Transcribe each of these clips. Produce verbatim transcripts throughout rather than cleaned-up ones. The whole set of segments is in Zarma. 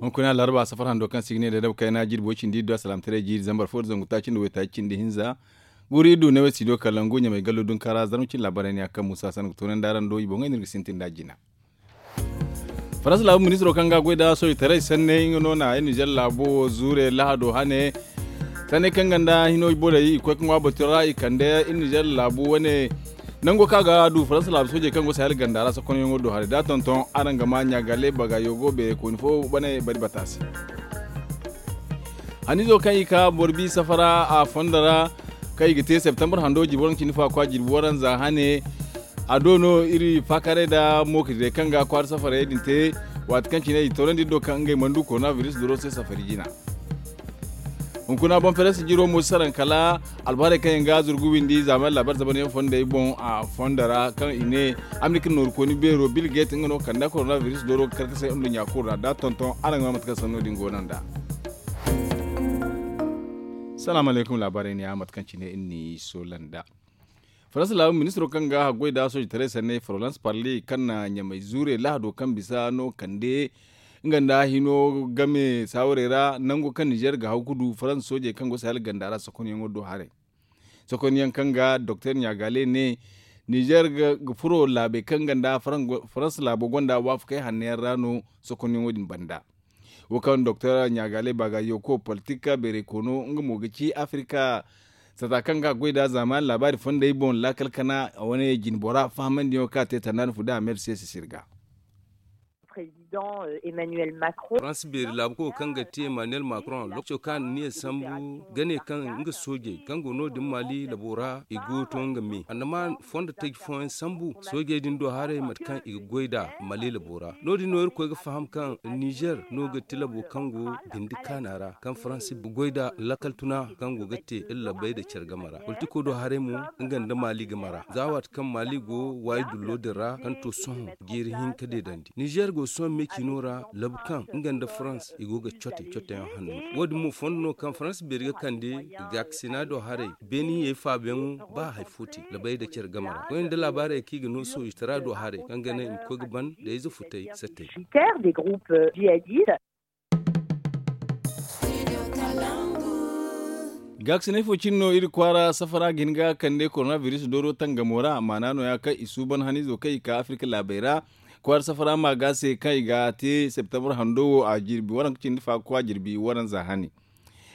Hunkuna laraba safar hando kaŋ si ga ne da dabu kayna jirbi way cindi iddu a salaamtaray jiiri zambar fo da zangu taaci nda waytaaci cindi hinza. Guuru iddu ne way si do kala ngu ɲamay gallo dunkara zarma cindi laabaray ne a kaŋ muusa sanna ga toonandi araŋ do i boŋey no iri ga sintin nd'a jina. Faransa laabu ministiro kaŋ ga a goy nda sooji taray sanney nga no na ay nizer laabo zuure lahado hane. Sanney kaŋ ganda hino borey i koy ka ŋwa batu ra i kande iri nizer laabu wane. Nango kaŋ a ga du faransa laabu soojey kaŋ go sahel ganda ra sokonyaŋo do haray da tonton araŋ ga ma ɲaagale baga yogo beeray kooni fo bane bari bata se. Hanizo kaŋ i ka boro bi safara a fondo ra kaŋ i ga te septembre hando jirbi waranka cindi fo a kwa jirbi waranza hane. A do no iri faakaarey nda mookidiray kaŋ ga kwaara safarey din te waati kaŋ cine i toonandi iri do kaŋ ngey mana du korona biris doro se safari jina. Hunkuna boŋ feres jiro mo si saraŋ kala albaharey kaŋ yaŋ ga zurgu windi zaamay laabar zabanyaŋ fondey boŋ a fondo ra kaŋ i ne amerika nooru kooni beero bil gate nga no kanda korona biris doro ga karkasay nduɲɲa kulu ra da tonton araŋ ga ma mate kaŋ sanno din go no nd'a. Salaamu alaykum laabaarey ne ya mate kaŋ cine iri n'i soola nd'a. Faransa laabu ministiro kaŋ ga haggoy nda sooji taray sanney florence parle kaŋ na ɲamay zuure lahado kaŋ bisa no kande nga nda hino game saawarey ra nango kaŋ nizer ga haw ga du faransa soojey kaŋ go sahel ganda ra sokonyaŋo do haray. Sokonyaŋ kaŋ ga doktor ɲaagale ne nizer ga furo laabey kaŋ ganda faransa laabo gonda waafakey hanno yaŋ ra no sokonyaŋo din banda. Wo kaŋ doktor ɲaagale baga yoko politik beeray koono nga mo ga ci afirika sata kaŋ ga a goy nda zaamaani laabaari fondey boŋ laakal kana wane jinbora fahamandiyaŋo kaŋ a te tanda no fu da a meeri se sisiri ga. Faransa beeri laabuko kaŋ ga te emmanuel macron lokaco kaŋ a na niya sambu ga ne kaŋ nga soojey kaŋ go no- din maali labo ra i go ga to nga me a na ma fondo taji fooyaŋ sambu soojey din do haray mate kaŋ i ga goy nd'a maali labo ra. No- din no irkoy ga faham kaŋ nizer no ga ti labo kaŋ go bindi kaana ra kaŋ faransa ga goy nd'a lakkal tuna kaŋ go ga te iri labbey nda care game ra politiko do haray mo nga nda maali game ra za waati kaŋ maali go waayi dullo din ra kaŋ to sohõ jiiri hinka deedandi nizer go sohõ me ciino ra labu kaŋ nga nda farans i go ga cote coteyaŋ hanno. Wo- din mo fondo no kaŋ farans beeri ga kande gaakasina do haray beeni yay faabayaŋo ba hari fo te labbey nda care game ra koyne nda laabaarey kaŋ i ga no sooji tara do haray kaŋ ga naŋ i ma koy ga ban nda ize futay sattey. Gaakasinay fo cine no iri kwaara safara ga hin ga kande korona biris dooro tangamo ra maana no- ya kaŋ i suuban haniizo kaŋ i ka afirka laabey ra kwaara safara ma ga se kaŋ i ga te septembre hando wo a jirbi waranka cindi fa ga kwa jirbi waranza hani.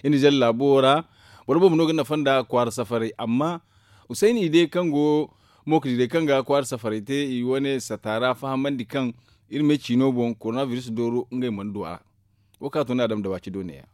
Iri na zalla laabo wo ra boro boobo no ga nafa nda kwaara safaray amma usayni i day kaŋ go mookadi day kaŋ ga kwaara safaray te i wane sata ra fahamandi kaŋ iri me ciino boŋ korona biris dooro ngey mana du a ra. Wo kaŋ a to ni adama da waaci do ne- ya.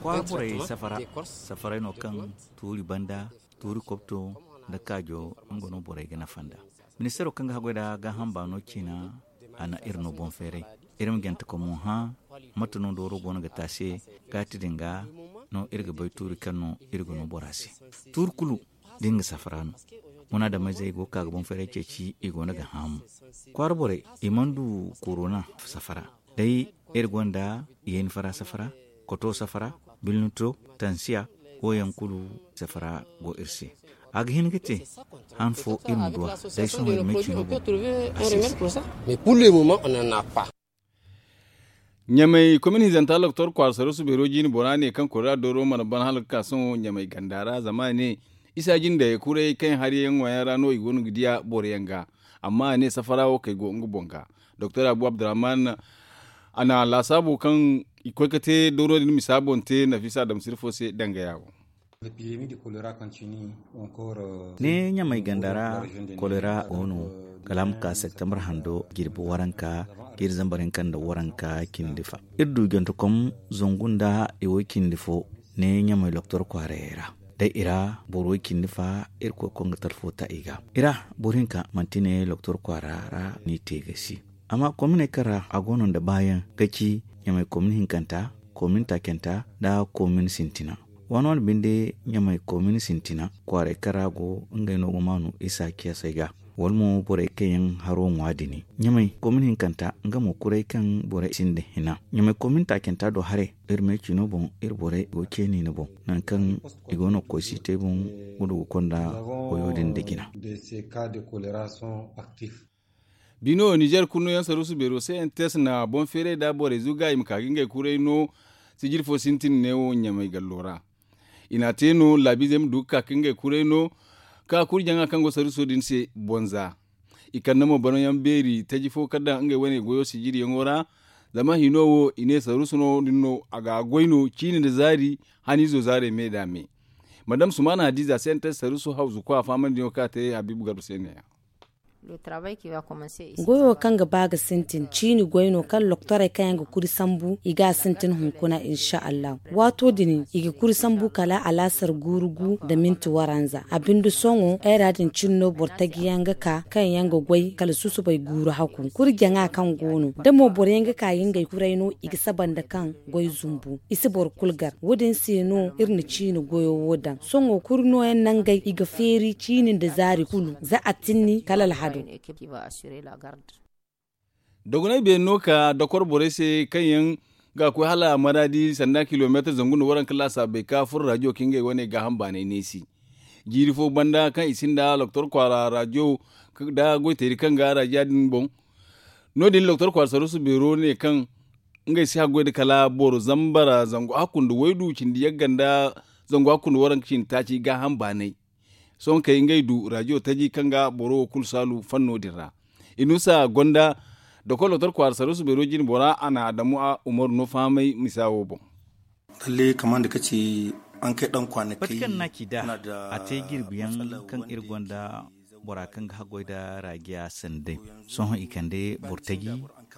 Kwaara borey safara safaray no kaŋ tuuri banda tuuri kobto nda kaajo nga no borey ga nafa nda. Ministeero kaŋ ga haggoy nda gaaham baano ciina a na iri no boŋ feeray. Iri ma jante komo hã mate no dooro go no ga te a se gaati din ga no iri ga bay tuuri kaŋ no iri ga no bora se. Tuuri kulu da nga safara no munaadameyzey go ga ka ga boŋ feeray ceeci i go no ga hã mo. Kwaara borey i mana du korona safara day iri gonda yayni fara safara koto safara bilnito tansiya wo yaŋ kulu safara go iri se. A ga hin ga te han fo iri ma du a day sohõ iri ma ay cino boŋ. A se se. Ɲamay komin hinzanta loktor kwaara sarusu beero jiine bora ne kaŋ kori ra dooro mana ban hala ga ka sohõ ɲamay ganda ra zama a ne isa jindey kuray kaŋ hari yaŋ ŋwa yaŋ ra no i go no ga diya boro yaŋ ga. Amma a ne safara wo kay go nga boŋ ga. Doktor abu abdurrahman a na laasaabu kaŋ i koy ga te dooro din misa boŋ te nafisa adamsir fo se danga ya wo. Ne ɲamay ganda ra kolera go no kala a ma ka septembre hando jirbi waranka jiiri zambar hinka nda waranka cindi fa. Iri du jantakom zangu nda i wo cindi fo ne ɲamay loktor kwaarayey ra. Day i ra boro way cindi fa irkoy konga talfo ta i ga i ra. Boro hinka manti ne loktor kwaara ra no i te ga si. Amma kominey kaŋ ra a go no nda baayaŋ ga ci ɲamay komin hinkanta komin taacanta nda komin sintina. Waani waani binde ɲamay komin sintina kwaaray kaŋ ra go ngey no ga maanu isa ciyasey ga wala mo borey kaŋ yaŋ haro ŋwa dini ɲamay komin hinkanta nga mo kuray kaŋ borey sinda hina ɲamay komin taacanta do haray. Iri me cino boŋ iri borey go ceeni ni boŋ nangu kaŋ i go no ga koy siitay boŋ gudu ga konda koyo din da jina. Bino nizer kurno yaŋ saruusu beero se n tes na boŋ feeray nda borey zuga i ma ka ga ngey kuray no. Sijiri fo sintin neewo ɲamay gallo ra. I n'a te no laabiizey ma du ga ka ga ngey kuray no. Ka kuri jaŋa kaŋ go saruuso din se bonza. I kande mo banayaŋ beeri taji fo kaŋ daŋ ngey wane goyo sijiriyaŋo ra. Zama hino wo i ne saruusu no din no a ga goy no ciini nda zaari. Haniizo zaarey me da me. Madam sumaana hadiiza se n te saruusu hawzu kwa faamandiyaŋo kaŋ a te habiibu garba se neeya. Goyo kaŋ ga ba ga sintin ciini goy no kaŋ loktorey kaŋ yaŋ ga kuri sambu i ga a sintin hunkuna insa allahu. Waato din i ga kuri sambu kala alaasar guuru gu nda minti waranza a binde sohõ ay ra din cine no boro taji yaŋ ga ka kaŋ yaŋ ga goy kala susubay guuru haku kuri jaŋa kaŋ go no da mo boro yaŋ ga ka ga ngey kuray no i ga saba nda kaŋ goy zumbu i si boro kulu gar wo- din se no iri na ciini goyo wo daŋ sohõ kuri nooyaŋ nangey i ga feeri ciini nda zaari kulu za a tinni kala alhado. Dogonay beeri no ka dokor borey se kaŋ yaŋ ga koy hala maraadi sanda kilomeetir zangu nda waranka laasaabey ka furo raadiyo ka ngey wane gaaham baanay neesi. Jiiri fo banda kaŋ i sinda loktor kwaara raadiyo nda goyteeri kaŋ ga raadiya din boŋ. No- din loktor kwaara saruusu beero ne kaŋ ngey si haggoy nda kala boro zambara zangu hakku nda waydu cindi yagga nda zangu hakku nda waranka cindi taaci gaaham baanay. Sohõ kay ngey du raadiyo taji kaŋ ga boro wo kulu saalu fanno din ra. Inusa gonda doktor loktor kwaara saruusu beero jine bora a na adamu umaru no fahamay misa wo boŋ. Lalle kamar da kace an kai dan kwanakay. Bati kaŋ na ci da a te jirbi yaŋ kaŋ iri gonda bora kaŋ ga haggoy nda raajiya sanday. Sohõ i kande boro taji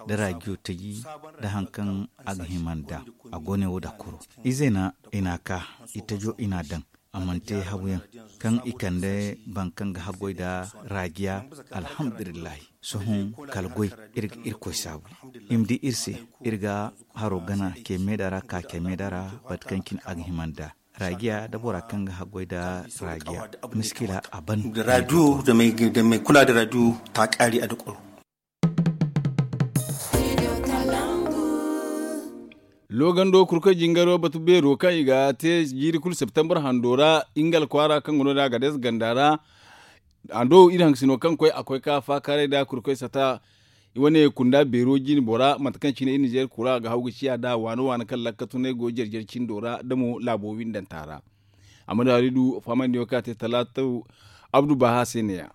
nda raajiyo taji nda hari kaŋ a ga hima nda a go ne wo dakoro. Izey na i n'a ka i tajo i n'a daŋ. A mana te habu yaŋ kaŋ i kande boro kaŋ ga haggoy nda raajiya. Alhamdulillahi. Sohõ kala goy iri ga irkoy saabu i ma di iri se. Iri ga haro gana kay meeda ra ka kay meeda ra bate kaŋ cine a ga hima nda raajiya nda bora kaŋ ga haggoy nda raajiya. Miskila a ban. Raadiyo da mai kula da raadiyo ta kaari a da kwaro. Loogando kurkoy jingaro batu beero kaŋ i ga te jiiri kulu septembar hando ra ingal kwaara kaŋ ga no da agades ganda ra. Hando iri haŋ sino kaŋ koy a koy ka faakaaray da kurkoy sata. I wane kunda beero jine bora mate kaŋ cine iri nizeer kura ga haw ga ciya da waano waano kaŋ lakka tunay go jare-jare cindo ra da mo laabo windanta ra. Amma da hari du faamandiyo kaŋ a te talaata abdu baaha se ne- ya.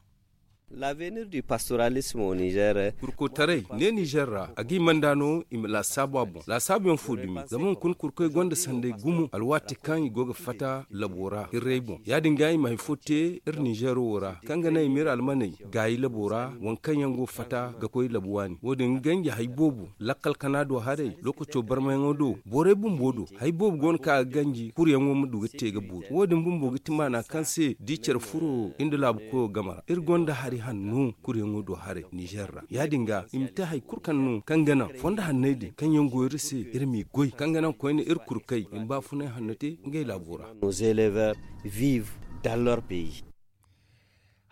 Laavenir du pastoralismo nizer. Kurkotaray ne nizer ra a ga hima nda no i ma laasaabu a boŋ laasaabu yaŋ fo dumi zama hunkuna kurkoy gonda sanday gumo alwaati kaŋ i go ga fatta labo ra hirray boŋ ya- din ga i ma hari fo te iri nizer wo ra kaŋ ga naŋ i ma iri almaney gaayi labo ra waŋ kaŋ yaŋ go ga fatta ga koy labo waani wo- din ga ganji hari boobo lakkal kana do haray lookaco barmayaŋo do borey bumbo do hari boobo go no kaŋ a ga ganji kuruyaŋo ma du ga te ga boori wo- din bumbo ga ti maana kaŋ se da i care furo iri nda laabu koyo game ra iri gonda hari hanno kuruyaŋo do haray nizer ra ya- din ga i ma te hari kulu kaŋ no kaŋ ga naŋ fondo hanney din kaŋ yaŋ go iri se iri m'i goy kaŋ ga naŋ koyne iri kurkey i ma baafunay hanno te ngey laabo ra.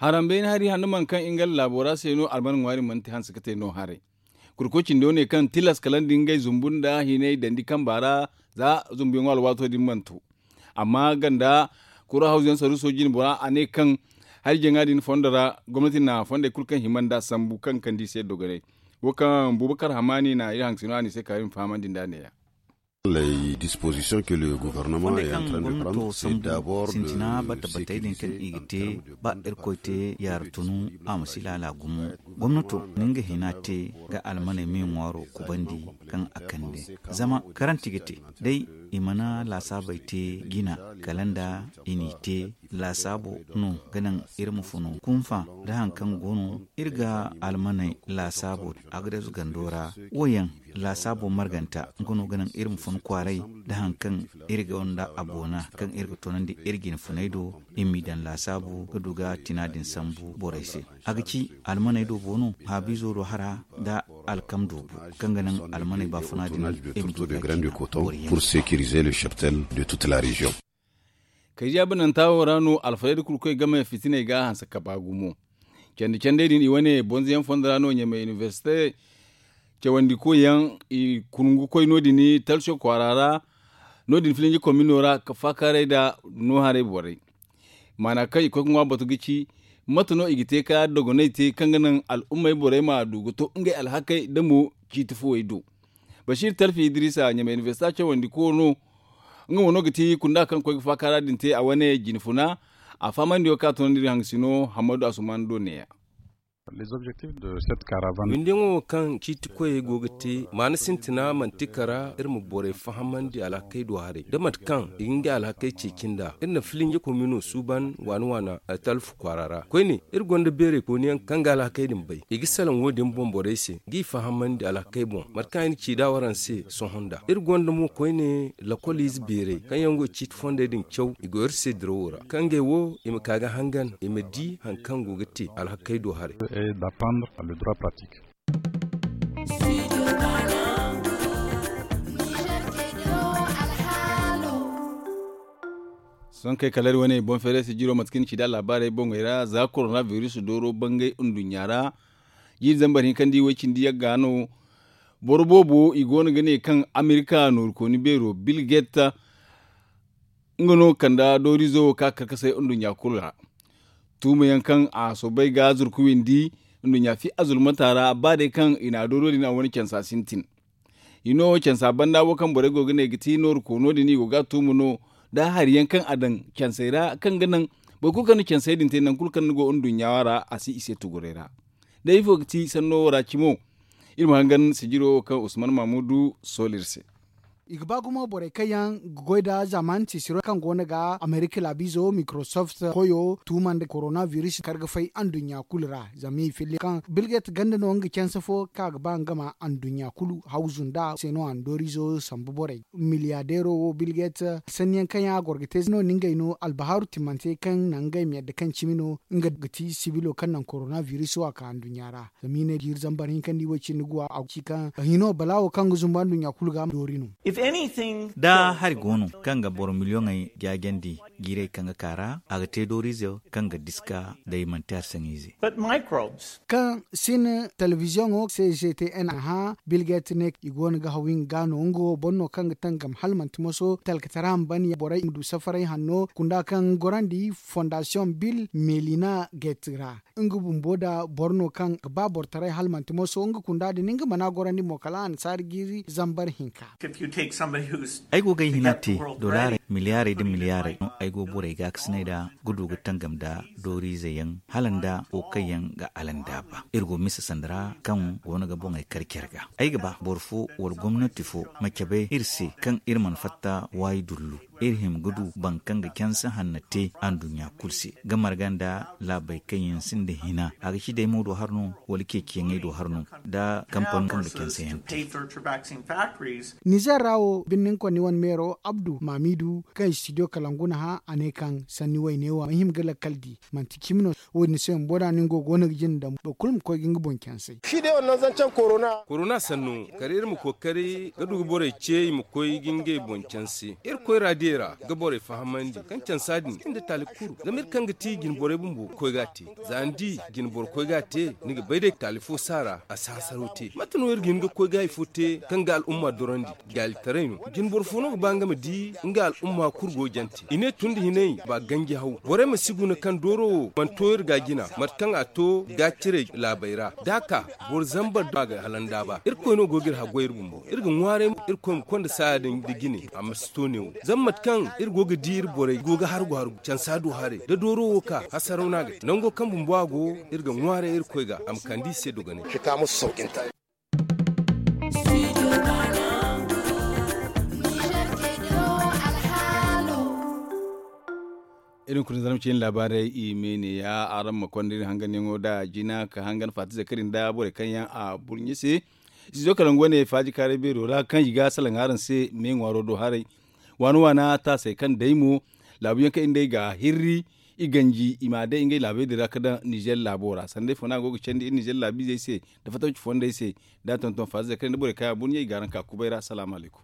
Harambayni hari hanno mana kaŋ nga laabo ra se no alman ŋwaari mana te hanse ga te no haray. Kurkoy cindo ne kaŋ tilas kala nda ngey zumbu nda hinay dandi kamba ra za zumbuyaŋo alwaato din mana to. Amma ganda kura hawzuyaŋ saruuso jine bora a ne kaŋ hari jaŋa din fondo ra gomnati na fondey kulu kaŋ hima nda sambu kaŋ kandi i se dogonay. Wo kaŋ bubakar hamani na iri haŋ sino a ne i se ka iri ma fahamandi nd'a ne- ya. Ley disposition ke le gouvernema est en train de prendre se dabor sintina bata batey din kaŋ i ga te ba irkoy te yaara tunu a ma si laala gumo. Gomnato na nga hina te ga almaney me ŋwaaro kubandi kaŋ a kande zama karanti ga te day i mana laasaabey te jina kala nda i n'i te laasaabo no ga naŋ iri ma funu kunfa nda hari kaŋ go no iri ga almaney laasaabo a ga deesu gando ra. Wo yaŋ laasaabo marganta nga no ga naŋ iri ma fun kwaaray nda hari kaŋ iri gonda a boona kaŋ iri ga toonandi iri jine funay do. Iri m'i daŋ laasaabu ga du ga tina din sambu borey se a ga ci almaney do boono haabiizo do hara nda alkam do bo kaŋ ga naŋ almaney baafuna din iri ma du ga tina borey yaŋ. Pour sécuriser le cheptel de toute la région. Kay jaabananta wo ra no alfarayda kulu koy game fitiney ga hanse kaba gumo. Candi candey din i wane bonzoyaŋ fondo ra no ɲamay inibersite cawandi koyyaŋ i kungu koy no- din talso kwaara ra. No- din filinji komino ra ka faakaaray nda no haray borey maana kaŋ i koy ga ŋwa batu ga ci Mate no i ga te ka dogonay te kaŋ ga naŋ al'ummey borey ma du ga to ngey alhakey da mo ciiti fuwey do. Basiir talfi idrisa ɲamay inibersita cawandi kooro no. Nga mo no ga ti kunda kaŋ koy ga faaka ra din te a wane jine funa. A fahamandi wo kaŋ a tunandi iri hangasino hammadu asuman do neeya. Windiyaŋo wo kaŋ ciiti koyey go ga te maana sintina manti kara iri ma borey fahamandi alhakey do haray da mate kaŋ i ga ngey alhakey ceeci nd'a. Iri na filinje komino suuban waana waana altalfu kwaara ra koyne iri gonda beeray kooniyaŋ kaŋ ga alhakey din bay i ga salaŋ wo- din boŋ borey se g'i fahamandi alhakey boŋ mate kaŋ ay na ci nd'a waraŋ se sohõ nd'a iri gonda mo koyne lakol ize beeray kaŋ yaŋ go ga ciiti fondey din caw i go iri se dirawo ra kaŋ ngey wo i ma ka ga hangan i ma di hari kaŋ go ga te alhakey do haray. Sohõ kay kala iri wane boŋ feeray sijiro mate kaŋ ni ci nd'a laabaarey boŋey ra za korona biris dooro bangay nduɲɲa ra. Jiiri zambar hinka nda i way cindi yagga no. Boro boobo i go no ga ne kaŋ amerika noorukooni beero bilget nga no kanda dooriizo wo ka karkasay nduɲɲa kulu ra. Tuuma yaŋ kaŋ a soobay ga zurku windi nduɲɲa fi azulmanta ra ba day kaŋ i na a dooriyo din a wane cansa sintin. I no cansa banda wo kaŋ borey go ga ne ga ti nooru koono din i go ga a tuuma no da hari yaŋ kaŋ a daŋ cansey ra kaŋ ga naŋ boro kulu kaŋ na cansey din te nangu kulu kaŋ ni go nduɲɲa ra a si i se tuguray ra. Day ifo ga ti sanno wo ra cimo? Iri ma hangan sijiro wo kaŋ usman mamudu sola iri se. I ga ba gumo borey kaŋ yaŋ ga goy nda zamani tiisiro kaŋ go no ga amerika laabiizo mikrosoft koyo tuuma nda korona biris kar ga fay anduɲɲa kulu ra zama i filli kaŋ bilget ganda no nga canse fo kaŋ a ga ba nga ma anduɲɲa kulu hawzu nda se no a na dooriizo sambu borey. Miliyadeero wo bilget sanni yaŋ kaŋ yaŋ a goro ga te no na ngey no albahaaru timmante kaŋ naŋ ngey ma yadda kaŋ cimi no nga ga ti sibilo kaŋ naŋ korona biris wo a ka anduɲɲa ra. Zama i ne jiiri zambar hinka nda i way cindi guwa a ci kaŋ hino balaawo kaŋ ga zumba nduɲɲa kulu ga doori no. Da hari go no kaŋ ga boro miliyoŋey jaajandi jiirey kaŋ ga ka ra a ga te dooriize kaŋ ga diska day manti hari saŋiize. Kaŋ sin telebiziyoŋo se g t n a hã bilget ne i go no ga haw nga ga no nga wo boro no kaŋ ga tangam hala manti moso talkatara ma ban borey ma du safaray hanno kunda kaŋ gorandi fondasiyoŋ bil melina get ra. Nga bumbo da boro no kaŋ ga ba boro taray hala manti moso nga kunda din nga mana gorandi mo kala a na saari jiiri zambar hinka. Ay go ga ay hina te dolaaray miliyaarey nda miliyaarey no ay go borey gaakasinay nda ga du ga tangam nda dooriize yaŋ hala nda wo kaŋ yaŋ ga alanda ba iri go mise sanda ra kaŋ go no ga boŋey kar care ga ay ga ba boro fo wala gomnati fo ma cabe iri se kaŋ iri mana fatta waayi dullu iri hima ga du boro kaŋ ga canse hanna te anduɲɲa kulu se ga marga nda laabey kaŋ yaŋ sinda hina a ga ci day mo do har no wala ceeciyaŋey do har no nda kampano kaŋ ga canse yaŋ te. Nizer ra wo birnin konni wane meero abdu maamidu kaŋ studio kalangu na hã a ne kaŋ sanni wayne wo a ma hima ga lakkal di manti cimi no. Wo- din se bumbo da no ni go go no ga jina daŋ boro kulu ma koy ga nga boŋ cansay. Korona sanno kala iri ma kookari ga du ga borey ce i ma koy ga ngey boŋ canse iri koyra diyey ra ga borey fahamandi kaŋ cansa din sinda taali kuru zama iri kaŋ ga ti jinborey bumbo ga koy ga a te. Za ni di jinboro koy ga a te ni ga bay day taali fo saara a si hasaro te mate no iri ga hin ga koy ga hari fo te kaŋ ga al'umma dorandi. Gaalitaray no jinboro fo no ga ba nga ma di nga al'umma kulu go jante i ne tun da hinay ba ganji haw borey ma si guna kaŋ dooro wo mana to iri ga jina mate kaŋ a to ga cire laabey ra da a ka boro zambar da a ga halanda ba irkoy no go ga iri haggoy iri bumbo iri ga ŋwaaray mo irkoy ma konda saaya din da jine a ma si to ne wo zama mate kaŋ iri go ga di iri borey go ga hargu hargu cansa do haray da dooro wo ka hasaraw no a ga te nango kaŋ bumbo a go iri ga ŋwaaray irkoy ga a ma kande i se dogonay. Iri hunkuna zarma cine laabaarey i me ne ya araŋ ma konda iri hanganyaŋo nda jina ka hangan faati zakari nda borey kaŋ yaŋ a burɲe se. Studio kalangu wane faaji kaaray beero ra kaŋ i ga salaŋ araŋ se me ŋwaaro do haray. Waana waana taasey kaŋ day mo laabu yaŋ kaŋ iri nd'ey ga hirri i ganji i ma a day ngey laabey din ra ka daŋ nizer laabo ra sanda ifo no a go ga candi iri nizer laabiizey se nda fattaci fondey se. Da a tonton faazizey kaŋ yaŋ nda borey kaŋ yaŋ a burɲey i ga araŋ ka kubay ra salaamu alaykum.